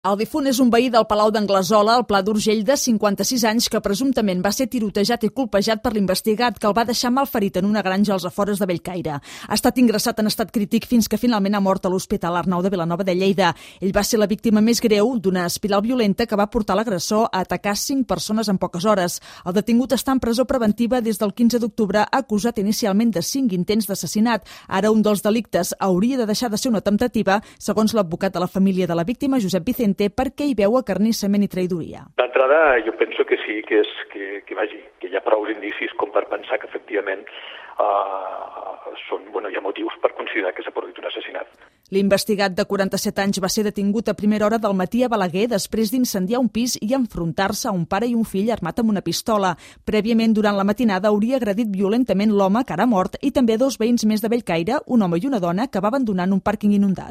El difunt és un veí del Palau d'Anglesola, al Pla d'Urgell, de 56 anys, que presumptament va ser tirotejat i colpejat per l'investigat, que el va deixar malferit en una granja als afores de Bellcaire. Ha estat ingressat en estat crític fins que finalment ha mort a l'Hospital Arnau de Vilanova de Lleida. Ell va ser la víctima més greu d'una espiral violenta que va portar l'agressor a atacar 5 persones en poques hores. El detingut està en presó preventiva des del 15 d'octubre, acusat inicialment de 5 intents d'assassinat. Ara un dels delictes hauria de deixar de ser una temptativa, segons l'advocat de la família de la víctima, Josep Vicente, perquè hi veu acarnissament i traïdoria. D'entrada, jo penso que sí, que hi ha prou indicis com per pensar que efectivament hi ha motius per considerar que s'ha produït un assassinat. L'investigat de 47 anys va ser detingut a primera hora del matí a Balaguer després d'incendiar un pis i enfrontar-se a un pare i un fill armat amb una pistola. Prèviament, durant la matinada, hauria agredit violentament l'home, que ara ha mort, i també 2 veïns més de Bellcaire, un home i una dona, que va abandonar en un pàrquing inundat.